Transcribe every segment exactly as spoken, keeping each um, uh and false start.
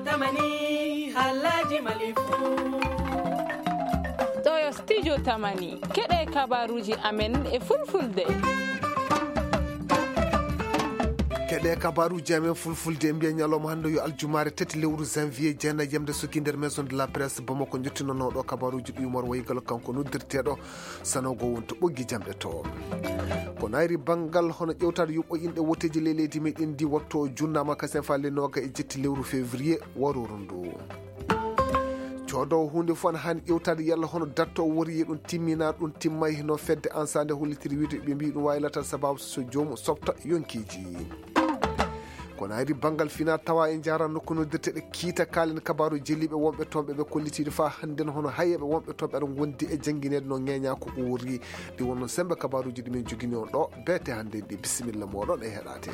Tamani, halaji malifu. Ɗo yo studio Tamani. Keɗe kabaruji amen e fulfulde. Keɗe kabaruji amen fulfulde, mbiya ñalawma hannde yo aljumaare tati lewru janvier, jeenayi yamde sukki nder maison de la presse Bamako, jottinonooɗo kabaruji ɗi Umar Waygal, kanko noddirteeɗo Sanogo wonto ɓoggi jamɗe to. Ko nayri banngal hono ƴewtaade yuɓɓo inɗe woteeji ley leydi meɗen ndi, watto junnaama kasen faa le nooga e jetti lewru février warooru ndu. Coodoowo huunde fof ana haani ƴewtaade yalla hono datto o wori e ɗum timmina, ɗum timmay no fedde ansaande hollitiri wiide ɓe mbii ɗum waylata sababu so joomum softa yonkiiji. Kono ari banngal fina tawa e jara nokku noddirteɗe kiita kalen kabaru jeliɓe wonɓe toon ɓe ɓe kollitiiɗo faa hannden hono hayeɓe wonɓe toon ɓe aɗa ngondi e janngineede no ŋeeña ko uuri. Ɗi wonno sembe kabaruji ɗi min jogini on ɗo beete hannden ɗi. Bisimilla moɗon e heɗate.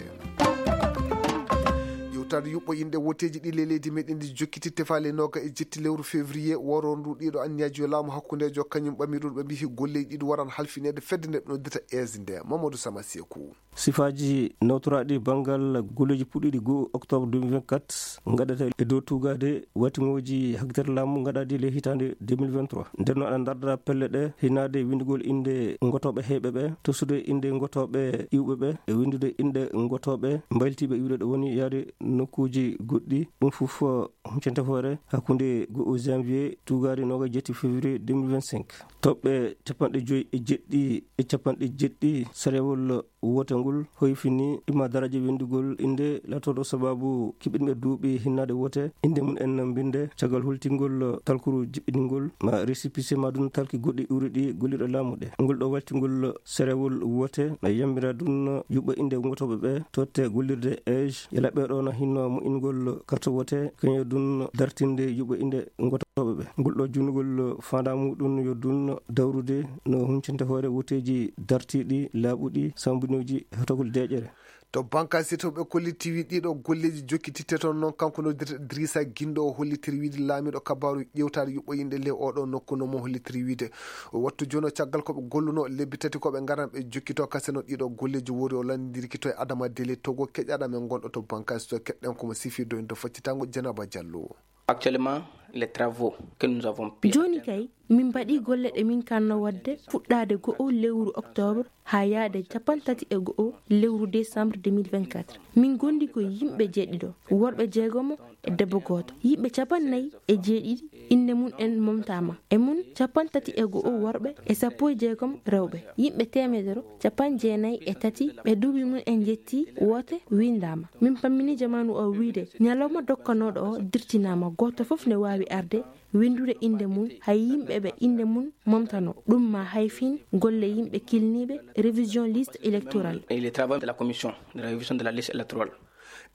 Ƴewtaade yuɓɓo inɗe woteeji ɗi le leydi meɗen ndi jokkiti tefaali nooga e jetti lewru février woro ndu ɗiɗo anniyaji yo laamu hakkundejo kañum ɓami ɗum ɓe mbihi golleji ɗiɗi waran halfineede fedde nde ɓe noddita aise nde Mamadou Sama Sekou. Sifaaji nawtoraaɗi banngal golleeji puɗɗiiɗi goo octobre deux mille vingt-quatre ngaɗata e dow tuugaade watiŋooji hagtere laamu ngaɗaaɗi le hitaande deux mille vingt-trois. Nder no aɗa ndardara pelle ɗe hinaade winndugol innde ngotooɓe heyɓe ɓe, tosude innde ngotooɓe iwɓe ɓe, e winndude innde ngotooɓe mbaylitiiɓe iwde ɗo woni yaade nokkuuji goɗɗi. Ɗum fof huccante hoore hakkunde goo janvier tuugaade noogaas jetti février deux mille vingt-cinq. Toɓɓe capanɗe joyi e jeɗɗi e capanɗe jeɗɗi sarewol woote ngol hoyfini imma daraja winndugol innde laatooɗo sababu kiɓɓinɓe duuɓi hinnaade woote, innde mum en mbinnde caggal hultingol talkuru jiɓɓiningol ma récépissé ma ɗum talki goɗɗi uri ɗi gollirɗe laamu ɗe. Ngol ɗo waltingol sarewol woote no yambira ɗum yuɓɓo innde ngotooɓe ɓe totte gollirde age yala ɓe ɗo no hinno moƴƴingol carte woote kañum ɗum dartinde yuɓɓo innde ngotooɓe ɓe. Ngol ɗo junnugol faandaa muɗum yo ɗum dawrude no huncinte hoore wuteeji dartiiɗi, laaɓuɗi, sambinooji heɓtogol deeƴere. To banka sitoɓe kolliti wi ɗiɗo golleeji jokkititte toon noon, kanko noddirte Idrissa Guindo o hollitiri wiide laamiiɗo kabaaru ƴewtaade yuɓɓo inɗe ley oɗo nokku no mo hollitiri wiide o wattu jono caggal ko ɓe golluno lebbi tati ko ɓe ngaran ɓe jokkito kaseno ɗiɗo golleeji wori o lanndindirki to e Adama Dele Togo keƴaɗa men gonɗo to banka sito keɗɗen komo sifi doyndo faccitango Dieynaba Diallo. Actuellement, les travaux que nous avons pu jooni kay min mbaɗi golle ɗe min kanno waɗde fuɗɗaade go'o lewru octobre haa yaade capanɗe tati e go'o lewru décembre deux mille vingt-quatre. Min gondi ko yimɓe jeeɗiɗo, worɓe jeegomo e debbo gooto. Yimɓe capanɗe nayi e jeeɗiɗi innde mum en momtaama. E mum capanɗe tati e go'o worɓe e sappo e jeegom rewɓe. Yimɓe teemedere capanɗe jeenayi e tati ɓe duuɓi mum en njetti woote winndaama. Min pammini jamaanu o wiide ñalawma dokkanooɗo o dirtinaama, gooto fof ne waawi arde winndude innde mum, hay yimɓe ɓe innde mum momtano. Ɗum ma hay fin golle yimɓe kilniiɓe révision liste électorale. Et les travaux de la commission de la révision de la liste électorale.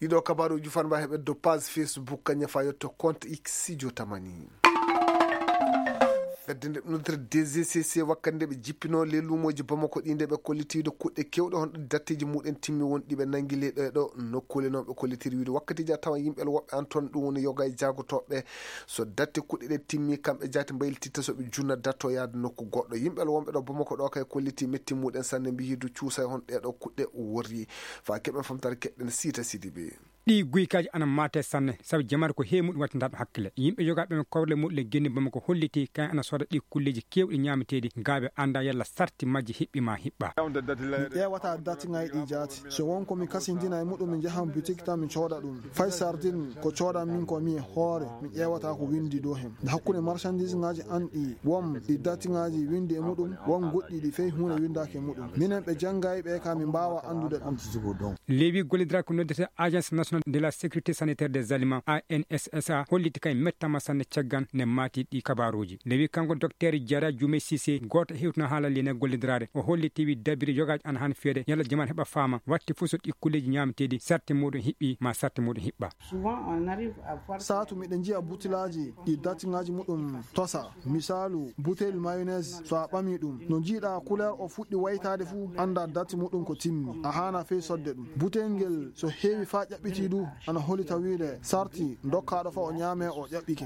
Ɗiɗo kabaaruji fanba heɓe do page Facebook kañum fa yetto compte X Studio Tamani. Fedde nde ɗum noddirta D G C C wakkati nde ɓe jippino le luumoji Bamako ɗi nde ɓe kollitiiɗo kuɗɗe kewɗe honɗo datteji muɗen timmi won ɗi ɓe nangi le ɗo e ɗo nokkuule noon ɓe kollitiri wiide wakkatiji a tawa yimɓe woɓɓe an toon ɗum woni yoga e jaagotoɓe so datte kuɗɗe ɗe timmi kamɓe jaati mbaylititta so ɓe junna datto yaade nokku goɗɗo yimɓe wonɓe ɗo Bamako ɗo kay kolliti metti muɗen sanne mbiyi du cuusa e hon ɗeɗo kuɗɗe worri fa keɓen famtare keɗɗen siita sidi ɓe. Ɗi guykaji ana mate sanne sabu jamaare ko heewi muɗum wattindaɗo hakkille. Yimɓe yogaaɓe men kowle muɗum le genni Bamako holliti kayen ana sooda ɗi kulleji kewɗi ñaameteeɗi ga ɓe annda yalla sarti majji hiɓɓi ma hiɓɓa. Mi ƴeewata dati ŋayɗi jaati. So won ko mi kasindina e muɗum mi njahan boutique tan mi cooda ɗum. Fay sardine ko coodan min ko mi e hoore mi ƴeewata ko windi dow hen. Nde hakkunde marchandise ŋaaji an ɗi won ɗi dati ŋaaji windi e muɗum won goɗɗi ɗi fey huunde windaaki e muɗum. Minen ɓe janngay ɓe ka mi mbaawa anndude ɗum. Lewi gollidiral ko noddete Agence Nationale de la Sécurité Sanitaire des Aliments, A N S S A, holliti kay mettama sanne caggal ne maati ɗi kabaruji. Lewi kanko Docteur Diarra Dioumé Cissé, gooto hewtino haala lene gollidirade. O holliti wi dabiri yogaji ana han feede, yalla jamaat heɓa faama, watti fof so ɗi kulleji ñaameteeɗi, sarte muɗum hiɓɓi, ma sarte muɗum hiɓɓa. Souvent, on arrive à voir saatu miɗen njiya butilaaji ɗi datiŋaaji muɗum tosa. Misaalu, butel mayonnaise, so a ɓami ɗum, no njiiɗa couleur o fuɗɗi waytaade fuu, annda dati muɗum ko timmi. A haana fey sodde ɗum. Butel ngel, so heewi faa ƴaɓɓiti, Ɗi du ana holita wiide sarti dokkaaɗo fa o ñaame o ƴaɓɓike.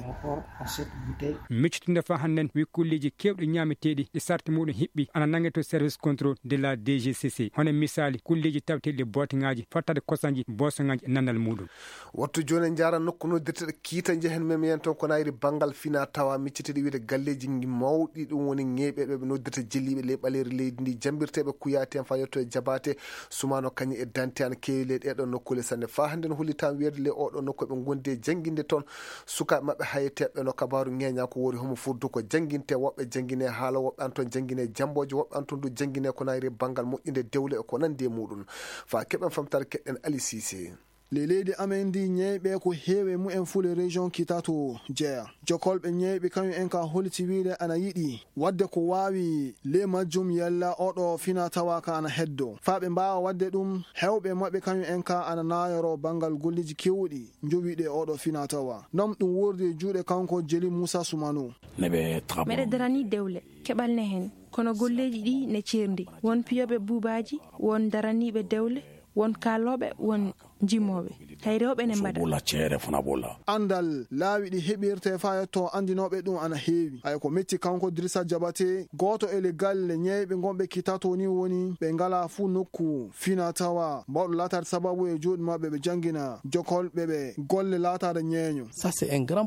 Miccitinde fa hannden wi kulleeji keewɗi ñaameteeɗi ɗi sarti muɗum hiɓɓi ana nannge to service contrôle de la D G C C. Hono misaali kulleeji taweteeɗi booteŋaaji, fattaade kosanji, boosoŋaaji e nannal muɗum. Wattu jooni en njaara nokku noddirteɗo kiita njehen mem yen toon ko nayri banngal fina tawa micciteɗi wiide galleeji mawɗi ɗum woni ŋeeɓeɓe ɓe noddirta jelliiɓe ley ɓaleeri leydi ndi jambirteeɓe kuyaati en fa yetto e jabaate sumano kañum e dante ana keewi ley ɗeɗo nokkuule sanne fa hannden hollitan weerde ley oɗo nokku ɓe gondi e jannginde toon sukaaɓe maɓɓe hayeteɓe no kabaaru ŋeeña ko wori homo fuddu ko jannginte woɓɓe janngine haala woɓɓe an toon janngine jambooje woɓɓe an toon du janngine ko nayri banngal moƴƴinde dewle e ko nandi e muɗum fa keɓen famtare keɗɗen Ali Cissé. Ley leydi amen ndi ñeyɓe ko heewi e mumen fule région kitato jeya jokolɓe ñeyɓe kañum en ka holiti wiide ana yiɗi wadde ko waawi ley majjum yalla oɗo fina tawa ka ana heddo fa ɓe mbaawa wadde ɗum hewɓe maɓɓe kañum en ka ana naayoro banngal golleeji kewɗi njowiɗe oɗo fina tawa nam ɗum wordi e juuɗe kanko jeli moussa soumano. Meɗe darani dewle keɓal ne heen kono golleeji ɗi ne ceerndi won piyooɓe buubaaji won daraniiɓe dewle won kaalooɓe won jimooɓe hay rewɓe ne mbaɗa. Andal laawi ɗi heɓirte fa yetto anndinooɓe ɗum ana heewi hay ko metti kanko dirisa jabate gooto e le galle ñeyɓe ngonɓe kitato ni woni ɓe ngala fuu nokku fina tawa mbaɗo laataade sababu e juuɗe maɓɓe ɓe janngina jokolɓe ɓe golle laataade ñeeño.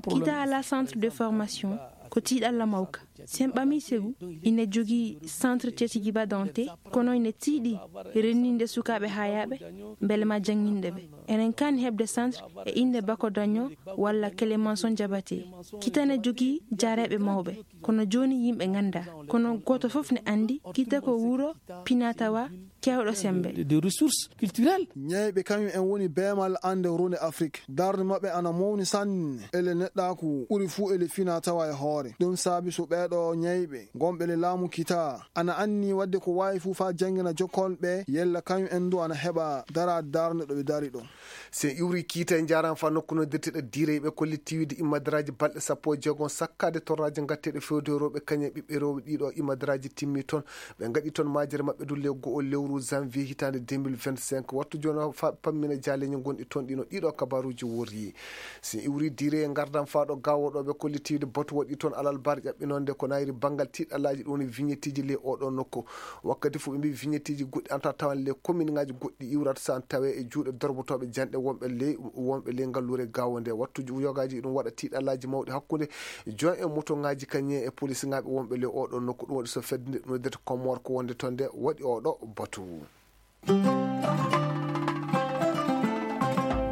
Kita ala centre de formation ko tiiɗalla mawka. Sen ɓamii segu ina jogii centre tetigiba dante kono ina tiiɗi renninde sukaaɓe haayaaɓe mbele ma jannginde ɓe. Enen kan heɓde centre e innde bako daño walla clémenson jabate. Kitane jogii jaareeɓe mawɓe kono jooni yimɓe ngannda kono gooto fof ne anndi kita ko wuro pinatawa kewɗo sembe. De ressources culturelles. Ñeyɓe kañum en woni beemal annde runde afrik darde maɓɓe ana mawni sanne ele neɗɗaaku ɓuri fuu ele fina tawa e hoore ɗum saabi so ɓeeɗo ñeyɓe gonɓe le laamu kita ana anni wadde ko waawi fuu faa janngina jokkolɓe yella kañum en du ana heɓa dara darnde ɗo ɓe dari ɗo. Sen iwri kiita e njaran fa nokku no dirteɗo diire ɓe kolli tiwide immadaraaji balɗe sappo e jeegom sakkaade torraaji ngatteeɗe fewde rewɓe kañum e ɓiɓɓe rewɓe ɗiɗo immadaraaji timmi toon. Ɓe ngaɗi toon majere maɓɓe du le go'o lewru janvier hitaande deux mille vingt-cinq wattu jooni o fa pammina jaaleeji gonɗi toon ɗino ɗiɗo kabaruuji worri. Si iwri diire e ngardan faaɗo gawoɗo ɓe kolli tiwide batu waɗi toon alal bar ƴaɓɓinonde ko nayri banngal tiɗalaaji ɗum woni vignetteji ley oɗo nokku. Wakkati fof ɓe mbi vignetteji goɗɗi anta tawan ley commune ngaji goɗɗi iwrata so an tawe e juuɗe dorbotoɓe janɗe wonɓe ley wonɓe ley ngalluure gawo nde wattu yogaaji ɗum waɗa tiɗalaaji mawɗi hakkunde joint e moto ngaji kañum e police ngaɓe wonɓe ley oɗo nokku ɗum waɗi so fedde nde ɗum noddete Comore ko wonde toon nde waɗi oɗo batu.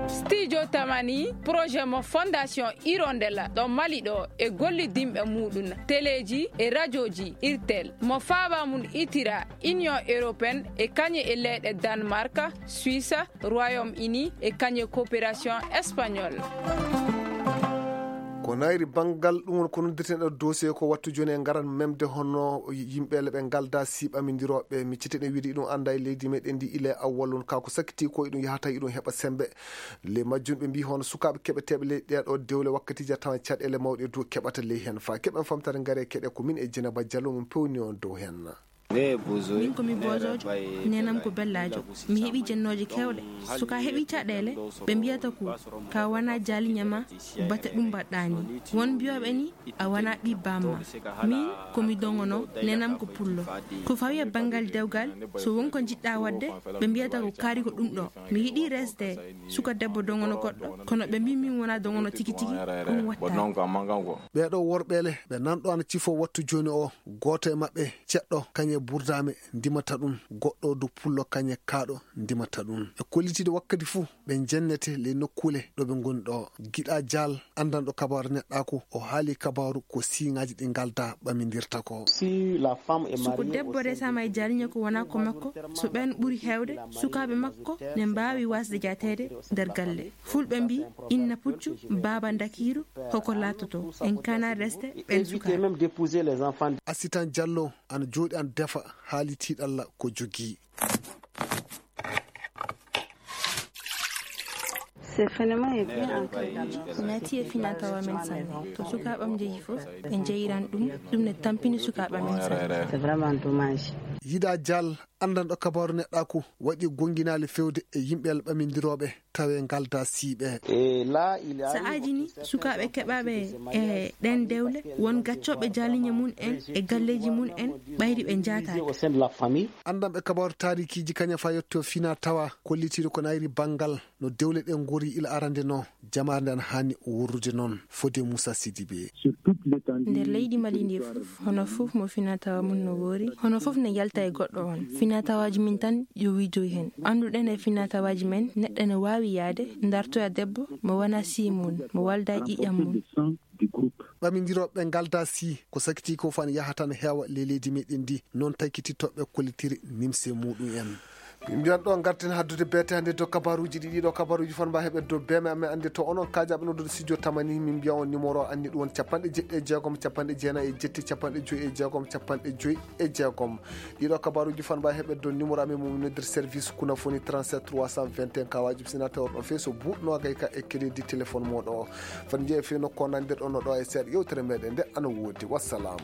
Studio Tamani projet mo Fondation Hirondelle ɗo Mali ɗo e gollidinɓe muɗum teleji e radioji irtel mo faaba mum itira Union Européenne e kañum e leyɗe Danemark, Suisse, Royaume Uni e kañum e coopération espagnole. Ko nayri banngal ɗum woni ko noddirten ɗo dossier ko wattu jooni e ngaran memde hono yimɓeele ɓe ngalda si ɓamindirooɓe micciteɗen wiide iɗum annda e leydi meɗen ndi ila e awwal on ka ko sakkiti ko iɗum yahata iɗum heɓa sembe. Ley majjum ɓe mbi hono sukaaɓe keɓeteeɓe ley ɗeɗo dewle wakkatiji a tawan caɗeele mawɗe dow keɓata ley hen fa keɓen famtare ngare keɗe ko min e Dieynaba Diallo min pewni on dow hen. Min ko mi bojojo, nenam ko bellajo. Mi heɓi jennooje kewɗe. So ka heɓi caɗeele, ɓe mbiyata ko ka wona jaalinya ma, bate ɗum mbaɗɗa ni. Won mbiyooɓe ni a wona ɓi bamma. Min ko mi dongono, nenam ko pullo. Ko fawi e banngal dewgal, so won ko njiɗɗa waɗde, ɓe mbiyata ko kaari ko ɗum ɗo. Mi yiɗi resde suka debbo dongono goɗɗo, kono ɓe mbi min wona dongono tigi tigi, ɗum watta. Ɓeeɗo worɓeele ɓe nanɗo ana cifo wattu jooni o. Gooto e maɓɓe ceɗɗo kañe burdaame ndimata ɗum, goɗɗo du pullo kañe kaaɗo ndimata ɗum. E kollitiiɗo wakkati fuu ɓe njennete ley nokkuule ɗo ɓe ngoni ɗo. Giɗa Jaal anndanɗo kabaaru neɗɗaaku o haali kabaaru ko siiŋaaji ɗi ngalda ɓamindirta ko. Suko debbo resama e jaalinya ko wona ko makko, so ɓen ɓuri heewde sukaaɓe makko ne mbaawi wasde jaateede nder galle. Fulɓe mbi inna puccu baaba ndakiiru hoko laatoto en kana resde ɓen sukaaɓe. Assitan Diallo ana jooɗi ana defa haali tiiɗalla ko jogii. Ko naati e fina tawa men sanne to sukaaɓam njehi fof ɓe njeyiran ɗum. Ɗum ne tampini sukaaɓa men sanne. Yida Dial. Anndanɗo kabaaru neɗɗaaku waɗi gonnginaali feewde e yimɓe ɓamindirooɓe tawe ngaldaa siiɓe. Sa'aaji ni, sukaaɓe keɓaaɓe e ɗeen dewle, won gaccooɓe jaaliñe mum en e galleeji mum en, ɓayri ɓe njaataaka. Anndanɓe kabaaru taarikiiji kañum faa yetto fina tawa kollitiiɗo ko nayri banngal no dewle ɗe ngori ila arande no, jamaare nde ana haani wurrude noon, fode Moussa Sidibé. Nder leydi Mali ndi fof, hono fof mo fina tawa mum no woori, hono fof ne yalta e goɗɗo on. Fina tawaaji min tan yo wiidoy heen. Annduɗen e fina tawaaji men, neɗɗo ne waawi yaade, dartoya debbo, mo wona sii mum, mo walda e ƴiiƴam mum. Ɓamindirooɓe ngaldaa sii, ko sakiti ko fan yahata no heewa ley leydi meɗen ndi, noon taykitittooɓe kollitiri nimse muɗum en. Min mbiyan ɗo ngarten haddude beete hannde dow kabaruuji ɗi, ɗiɗo kabaruuji fan mba heɓe dow beeme amen annde to onon kaajaɓe noddude studio tamani, min mbiyan on numéro anni ɗum won capanɗe jeɗɗi e jeegom, capanɗe jeenayi e jetti, capanɗe joyi e jeegom, capanɗe joyi e jeegom. Ɗiɗo kabaruuji fan mba heɓe dow numéro amen mo min noddir service kuna foni trente-sept trois cent vingt et un kawaaji sinateur ɗon feeso buuɗ noogay ka e crédit téléphone moɗo o. Fan jeeya fino ko nandir ɗon ɗo e seeɗa yewtere meɗen nde ana woodi. Wassalam.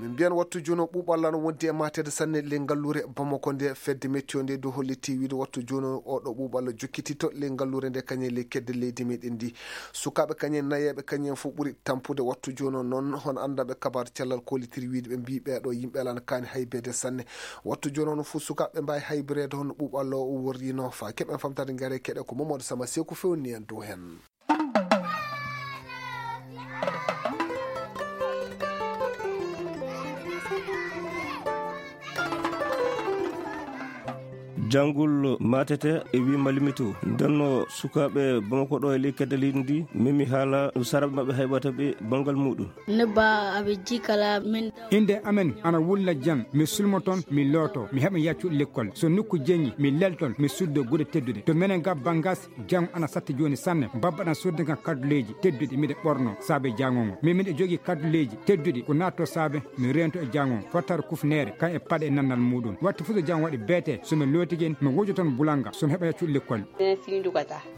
Min mbiyan wattu jooni o ɓuuɓalla no wondi e mateede sanne ley ngalluure Bamako nde fedde mettiyo nde du holliti wiide wattu jooni o ɗo ɓuuɓalla jokkitito ley ngalluure nde kañe ley kedde leydi meɗen ndi. Sukaaɓe kañe nayeeɓe kañe fof ɓuri tampude wattu jooni o noon hono anndaɓe kabaar cellal kollitiri wiide ɓe mbi ɓeeɗo yimɓe alano kaani haybeede sanne. Wattu jooni o no fof sukaaɓe mbawi haybireede hono ɓuuɓalla o worrino fa keɓen famtade ngare keɗe ko Mamadou Sama Seeku fewni en dow heen. Janngol matete e wi malimito ndenno sukaaɓe Bamako ɗo e ley kedde leydi ndi memi haala saraɓe maɓɓe hayɓata ɓe banngal muɗum. Nebba aɓe jikala min. Innde amen ana wulla jam, mi sulmo toon, mi looto, mi heɓa yaccuɗo lekkol. So nokku jeñi, mi lelton, mi suddo gude tedduɗe. To menen ga Bangas, jam ana satti jooni sanne. Babba ɗan sodde kan kadduleeji tedduɗi, miɗe ɓorno saabe jango ngo. Min miɗe jogii kadduleeji tedduɗi, ko naatto saabe mi reento e jango ngo. Fottare kufneere, kan e paɗe e nannal muɗum. Wattu fof so jam waɗi beete, so mi lootike, mi wujo toon bulanga, so mi heɓa yaccuɗo lekkol.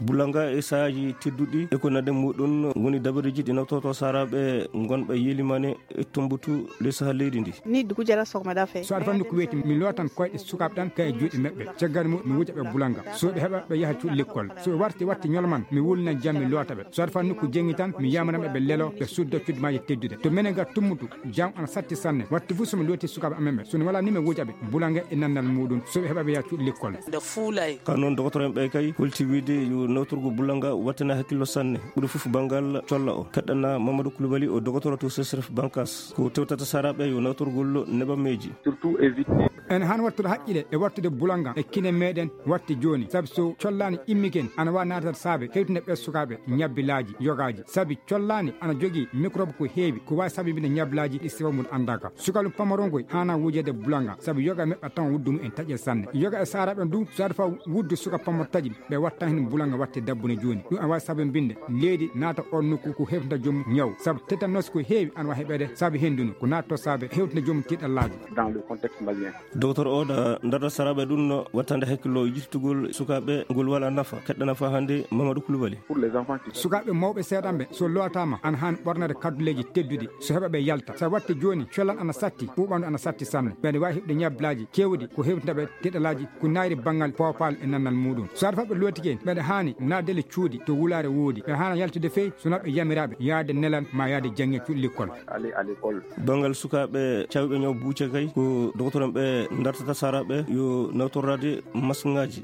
Bulanga e sahaaji tedduɗi e ko nande muɗum woni dabareeji ɗi nawtoto saraɓe ngonɓe yelimane e Tumbutu le saha leydi ndi. Ni dugu jara sogma da fe. So aɗa fanni ko weeti, mi lootan koyɗe sukaaɓe ɗan kay e juuɗe maɓɓe. Caggal mum, mi wuja ɓe bulanga. So ɓe heɓa, ɓe yaha cuuɗi lekkol. So ɓe warti, watti ñolman, mi wulna jam, mi loota ɓe. So aɗa fanni ko jeŋi tan, mi yamana ɓe, ɓe lelo, ɓe sudda cuuɗi maaji teddude. To menen ga Tumbutu, jam ana satti sanne. Watti fof so mi looti sukaaɓe amen ɓe. So mi wala ni mi wuja ɓe bulanga e nannal muɗum. So ɓe heɓa, ɓe yaha cuuɗi lekkol. Nde fuulay. Ka noon, dogotoro en ɓe kay holti wiide yo nawtorgo bulanga wattina hakkillo sanne. Ɓuri fof banngal colla o. Keɗɗana Mamadou Koulibaly o dogotoro to C S R F Bankas. Ko tewtata saraɓe yo nawtorgol nebameeji. Surtout éviter. En han wattude haqqile e wattude bulanga e kine meɗen watti jooni. Sabi so collaani immiken ana wa naatata saabe hewtinde ɓe sukaaɓe ñabbilaaji yogaaji. Sabi collaani ana jogii microbe ko heewi ko waawi sabibinde ñabbilaaji ɗi sifa mum anndaaka. Sukalu pamaron koy haana wujeede bulanga sabi yoga e maɓɓe tan wuddu mum en taƴe sanne. Yoga e saraɓe du so aɗa fa wuddu suka pamaro taƴi ɓe watta heen bulanga watte dabbune jooni. Ɗum ana waawi sabambinde leydi naata on nokku ko hewtinta joom ñaw. Sabu tétanos ko heewi ana waawi heɓeede sabu henndu no ko naatto saabe hewtinta joom tiiɗallaaji. Dans le contexte malien. Docteur Oda, ndarta saraɓe ɗum no wattande hakkillo yittugol sukaaɓe ngol wala nafa, keɗɗa nafa hannde Mamadou Koulibaly. Pour les enfants qui Sukaaɓe mawɓe seeɗanɓe so lootaama ana haani ɓornade kadduleeji tedduɗi so heɓa ɓe yalta. So watti jooni, collan ana satti, ɓuuɓandu ana satti sanne. Ɓe ene waawi heɓde ñablaaji keewɗi ko hewtinta ɓe tiiɗalaaji ko naayri banngal poopal e nannal muɗum. So aɗa faɓɓe lootike, ɓeɗe haani naatde le cuuɗi to wulaare woodi. Ɓe haana yaltude fey so naɓɓe yamiraaɓe yaade nelal ma yaade jannge cuuɗi lekkol. Aller à l'école. Banngal sukaaɓe cawɓe ñaw buuce kay, ko doktoren ɓe dartata saraɓe yo nawtorade masŋaaji.